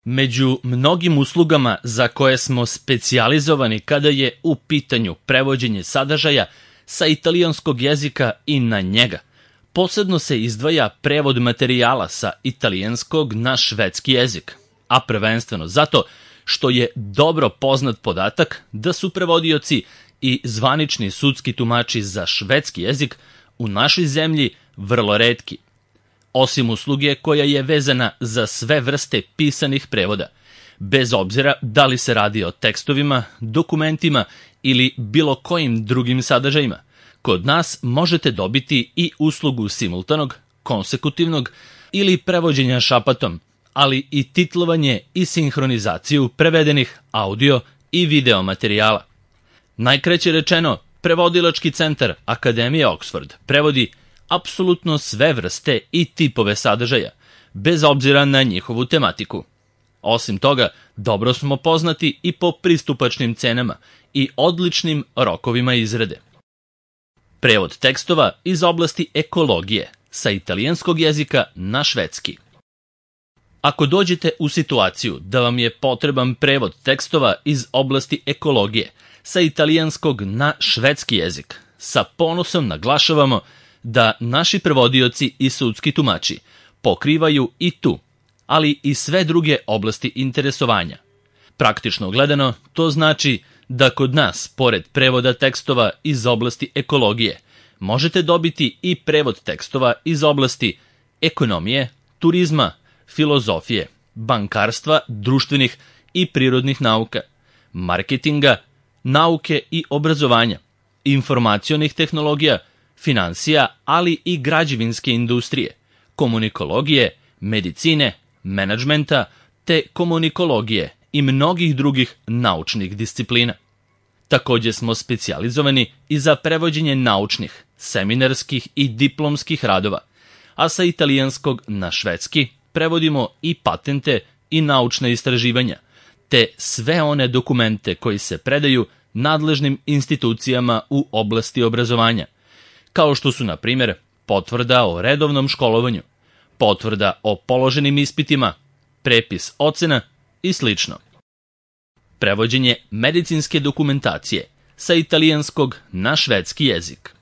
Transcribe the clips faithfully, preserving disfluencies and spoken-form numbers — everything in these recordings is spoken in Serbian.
Među mnogim uslugama za koje smo specijalizovani kada je u pitanju prevođenje sadržaja sa italijanskog jezika i na njega, posebno se izdvaja prevod materijala sa italijanskog na švedski jezik, a prvenstveno zato što je dobro poznat podatak da su prevodioci i zvanični sudski tumači za švedski jezik u našoj zemlji vrlo retki. Osim usluge koja je vezana za sve vrste pisanih prevoda, bez obzira da li se radi o tekstovima, dokumentima ili bilo kojim drugim sadržajima, kod nas možete dobiti i uslugu simultanog, konsekutivnog ili prevođenja šapatom, ali i titlovanje i sinhronizaciju prevedenih audio i video materijala. Najkraće rečeno, Prevodilački centar Akademije Oxford prevodi apsolutno sve vrste i tipove sadržaja, bez obzira na njihovu tematiku. Osim toga, dobro smo poznati i po pristupačnim cenama i odličnim rokovima izrade. Prevod tekstova iz oblasti ekologije sa italijanskog jezika na švedski. Ako dođete u situaciju da vam je potreban prevod tekstova iz oblasti ekologije sa italijanskog na švedski jezik, sa ponosom naglašavamo da naši prevodioci i sudski tumači pokrivaju i tu, ali i sve druge oblasti interesovanja. Praktično gledano, to znači da kod nas, pored prevoda tekstova iz oblasti ekologije, možete dobiti i prevod tekstova iz oblasti ekonomije, turizma, filozofije, bankarstva, društvenih i prirodnih nauka, marketinga, nauke i obrazovanja, informacionih tehnologija, finansija, ali i građevinske industrije, komunikologije, medicine, menadžmenta te komunikologije i mnogih drugih naučnih disciplina. Takođe smo specijalizovani i za prevođenje naučnih, seminarskih i diplomskih radova, a sa italijanskog na švedski prevodimo i patente i naučna istraživanja, te sve one dokumente koji se predaju nadležnim institucijama u oblasti obrazovanja, kao što su, na primjer, potvrda o redovnom školovanju, potvrda o položenim ispitima, prepis ocena i sl. Prevođenje medicinske dokumentacije sa italijanskog na švedski jezik.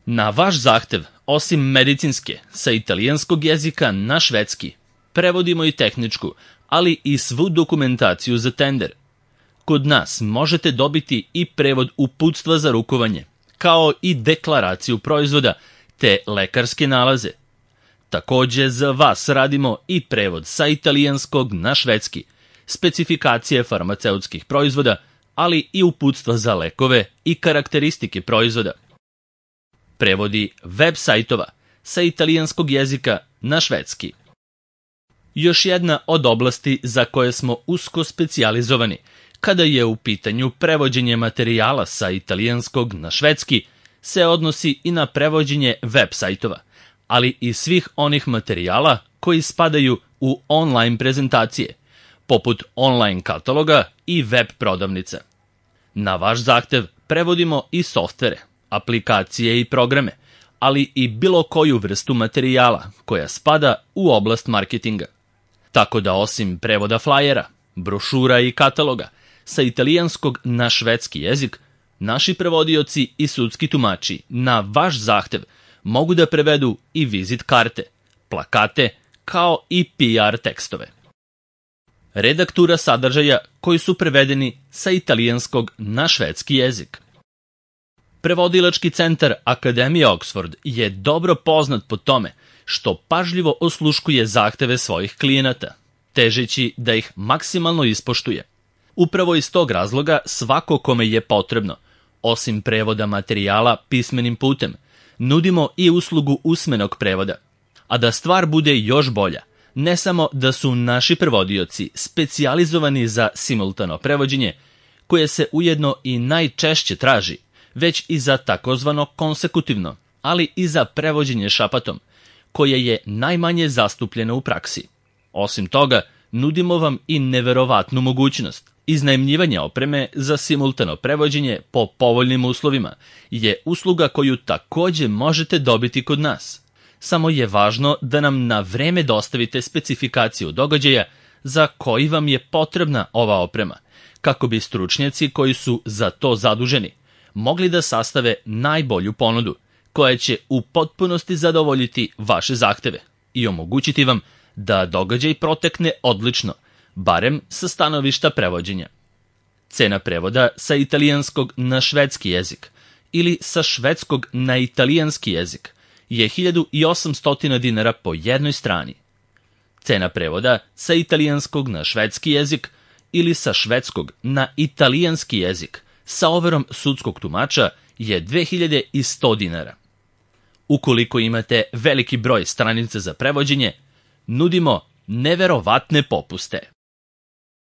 Na vaš zahtev, osim medicinske sa italijanskog jezika na švedski, prevodimo i tehničku, ali i svu dokumentaciju za tender. Kod nas možete dobiti i prevod uputstva za rukovanje, kao i deklaraciju proizvoda, te lekarske nalaze. Takođe za vas radimo i prevod sa italijanskog na švedski, specifikacije farmaceutskih proizvoda, ali i uputstva za lekove i karakteristike proizvoda. Prevodi web sajtova sa italijanskog jezika na švedski. Još jedna od oblasti za koje smo usko specijalizovani kada je u pitanju prevođenje materijala sa italijanskog na švedski se odnosi i na prevođenje web sajtova, ali i svih onih materijala koji spadaju u online prezentacije, poput online kataloga i web prodavnica. Na vaš zahtev prevodimo i softvere, aplikacije i programe, ali i bilo koju vrstu materijala koja spada u oblast marketinga. Tako da osim prevoda flajera, brošura i kataloga sa italijanskog na švedski jezik, naši prevodioci i sudski tumači na vaš zahtev mogu da prevedu i vizit karte, plakate, kao i P R tekstove. Redaktura sadržaja koji su prevedeni sa italijanskog na švedski jezik. Prevodilački centar Akademije Oxford je dobro poznat po tome što pažljivo osluškuje zahteve svojih klijenata, težeći da ih maksimalno ispoštuje. Upravo iz tog razloga svako kome je potrebno, osim prevoda materijala pismenim putem, nudimo i uslugu usmenog prevoda. A da stvar bude još bolja, ne samo da su naši prevodioci specijalizovani za simultano prevođenje, koje se ujedno i najčešće traži, već i za takozvano konsekutivno, ali i za prevođenje šapatom, koje je najmanje zastupljeno u praksi. Osim toga, nudimo vam i neverovatnu mogućnost. Iznajmljivanje opreme za simultano prevođenje po povoljnim uslovima je usluga koju takođe možete dobiti kod nas. Samo je važno da nam na vreme dostavite specifikaciju događaja za koji vam je potrebna ova oprema, kako bi stručnjaci koji su za to zaduženi mogli da sastave najbolju ponudu, koja će u potpunosti zadovoljiti vaše zahteve i omogućiti vam da događaj protekne odlično, barem sa stanovišta prevođenja. Cena prevoda sa italijanskog na švedski jezik ili sa švedskog na italijanski jezik je hiljadu osamsto dinara po jednoj strani. Cena prevoda sa italijanskog na švedski jezik ili sa švedskog na italijanski jezik sa overom sudskog tumača je dve hiljade sto dinara. Ukoliko imate veliki broj stranica za prevođenje, nudimo neverovatne popuste.